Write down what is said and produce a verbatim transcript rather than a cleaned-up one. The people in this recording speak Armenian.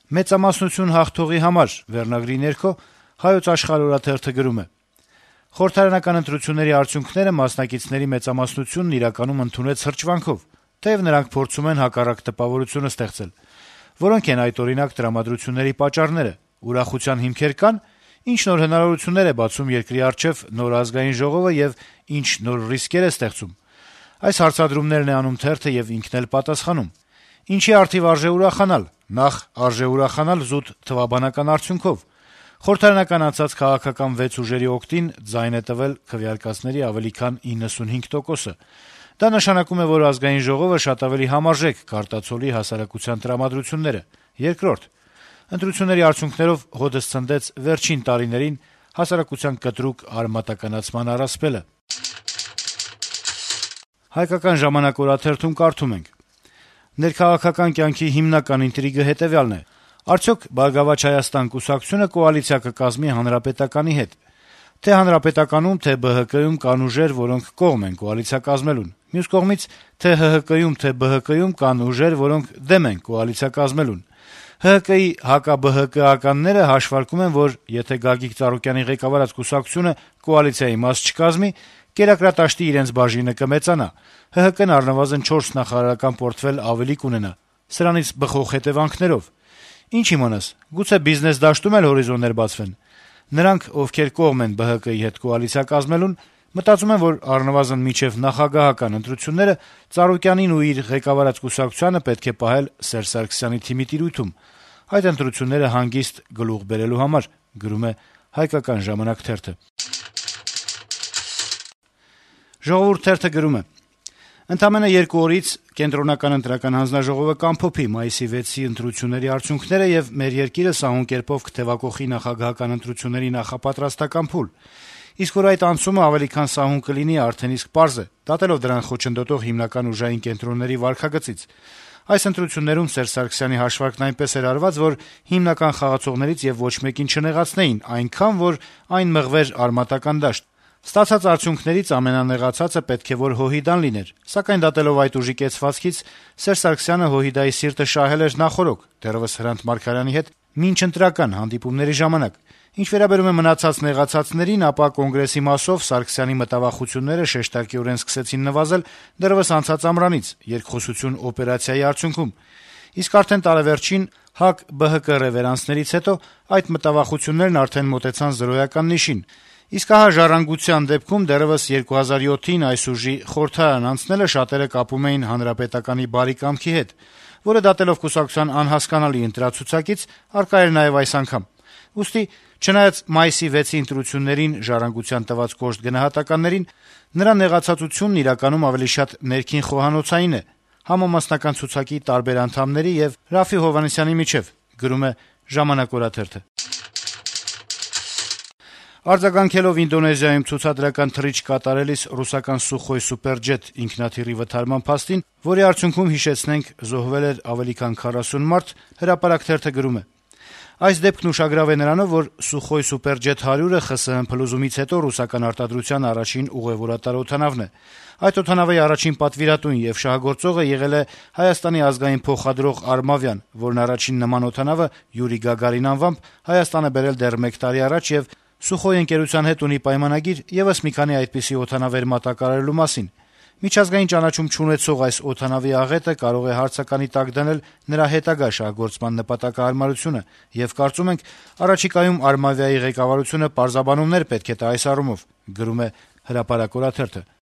Մեծամասնություն հաղթողի համար վերնագրի ներքո «Հայոց Աշխարհ» օրաթերթը գրում է. - «Խորհրդարանական ընտրությունների արդյունքները մասնակիցների մեծամասնությունն իրականում ընդունեց հրճվանքով, թեև նրանք փորձում են հակառակ տպավորությունը ստեղծել։ Որոնք են այդ, օրինակ, տրամադրությունների պատճառները, ուրախության հիմքեր կան, ինչ նոր հնարավորություններ է բացում երկրի առջև նոր ազգային ժողովը եւ ինչ նոր ռիսկեր է ստեղծում։ Այս հարցադրումներն է անում թերթը եւ ինքն էլ պատասխանում։ Ինչի առթիվ արժե ուրախանալ։ Նախ արժե ուրախանալ զուտ թվաբանական արդյունքով։ Խորհրդարանական անցած քաղաքական վեց ուժերի օգտին ձայն է տվել քվեարկածների ավելի քան իննսունհինգ տոկոսը։ Դա նշանակում է, որ ազգային ժողովը շատ ավելի համարժեք կարտացոլի հասարակության տրամադրությունները։ Երկրորդ, ընտրությունների արդյունքներով հօդս ցնդեց վերջին տարիներին հասարակության կտրուկ արմատականացման առասպելը»։ «Հայկական ժամանակ» օրաթերթում կարդում ենք. - «Ներքաղաքական կյանքի հիմնական ինտրիգը հետեւյալն է. արդյոք «Բարգավաճ Հայաստան» կուսակցությունը կոալիցիա կկազմի Հանրապետականի հետ։ Թե Հանրապետականում, թե Բը Հը Կում կան ուժեր, որոնք կողմ են կոալիցիա կազմելուն։ Մյուս կողմից, թե Հը Հը Կում, թե Բը Հը Կում կան ուժեր, որոնք դեմ են կոալիցիա կազմելուն։ Հը Հը Կի հակա-Բը Հը Կականները հաշվարկում են, որ եթե Գագիկ Ծառուկյանի ղեկավարած կուսակցությունը կոալիցիայի մաս չկազմի, կերակրատաշտի իրենց բաժինը կմեծանա, Հը Հը Կն առնվազն չորս նախարարական պորտֆել ավելի կունենա, սրանից բխող հետեւանքներով։ Ինչ իմանաս, գուցե բիզնես դաշտում էլ հորիզոններ բացվեն։ Նրանք, ովքեր կողմ են Բը Հը Կի հետ կոալիցիա կազմելուն, մտածում են, որ առնվազն մինչեւ նախագահական ընտրությունները Ծառուկյանին ու իր ղեկավարած կուսակցությանը պետք է պահել Սերժ Սարգսյանի թիմի տիրույթում, այդ ընտրությունները հանգիստ գլուխ բերելու համար», գրում է «Հայկական ժամանակ» թերթը։ «Ժողովուրդ» թերթը գրում է. - «Ընդամենը երկու օրից Կենտրոնական ընտրական հանձնաժողովը կամփոփի մայիսի վեցի ընտրությունների արդյունքները եւ մեր երկիրը սահուն կերպով կթեւակոխի նախագահական ընտրությունների նախապատրաստական փուլ։ Իսկ որ այդ անցումը ավելի քան սահուն կլինի, արդեն իսկ պարզ է, դատելով դրան խոչընդոտող հիմնական ուժային կենտրոնների վարքագծից։ Այս ընտրություններում Սերժ Սարգսյանի հաշվարկն այնպես էր արված, որ հիմնական խաղացողներից եւ ոչ մեկին չնեղացնեին, այնքան, որ այն մղվեր արմատական դաշտ։ Ստացած արդյունքներից ամենանեղացածը պետք է որ Հոհիդան լիներ, սակայն դատելով այդ ուժի կեցվածքից Սերժ Սարգսյանը Հոհիդայի սիրտը շահել էր նախօրոք, դեռեւս Հրանտ Մարգարյանի հետ մինչ ընտրական հանդիպումների ժամանակ։ Ինչ վերաբերում է մնացած նեղացածներին, ապա կոնգրեսի մասով Սարգսյանի մտավախությունները շեշտակիորեն սկսեցին նվազել դեռեւս անցած ամռանից երկխոսություն օպերացիայի արդյունքում։ Իսկ արդեն տարեվերջին ՀԱԿ-Բը Հը Կը ռևերանսներից հետո այդ մտավախություններն արդեն մոտեցան զրոյական նիշին։ Իսկ ահա ժառանգության դեպքում դեռեւս երկու հազար յոթին այս ուժի խորհրդարան անցնելը շատերը կապում էին Հանրապետականի բարի կամքի հետ, որը դատելով կուսակցության անհասկանալի ընտրացուցակից առկա էր նաեւ այս անգամ։ Ուստի, չնայած մայիսի վեցի ընտրություններին ժառանգության տված կոշտ գնահատականներին, նրա նեղացածությունն իրականում ավելի շատ ներքին խոհանոցային է, համամասնական ցուցակի տարբեր անդամների եւ Ռաֆֆի Հովհաննիսյանի միջեւ, գրում է «Ժամանակ» օրաթերթը։ Արձագանքելով Ինդոնեզիայում ցուցադրական թռիչք կատարելիս ռուսական Սուխոյ սուպերջեթ ինքնաթիռի վթարման փաստին, որի արդյունքում, հիշեցնենք, զոհվել էր ավելի քան քառասուն մարդ, Հրապարակ թերթը գրում է. Այս դեպքն ուշագրավ է նրանով, որ Սուխոյ սուպերջեթ հարյուրը ԽՍՀՄ փլուզումից հետո ռուսական արտադրության առաջին ուղեւորատար օդանավն է։ Այդ օդանավի առաջին պատվիրատուն եւ շահագործողը եղել է Հայաստանի ազգային փոխադրող Արմավյան, որն առաջին նման օդանավը Յուրի Գագարին անվամբ Հայաստան է բերել դեռ մեկ տարի առաջ եւ Սուխոյ ընկերության հետ ունի պայմանագիր եւս մի քանի այդպիսի օդանավեր մատակարարելու մասին։ Միջազգային ճանաչում չունեցող այս օդանավի աղետը կարող է հարցականի տակ դնել նրա հետագա շահգործման նպատակահարմարությունը եւ կարծում ենք առաջիկայում Արմավիայի ղեկավարությունը պարզաբանումներ պետք է տա այս առումով, գրում է Հրապարակ օրաթերթը։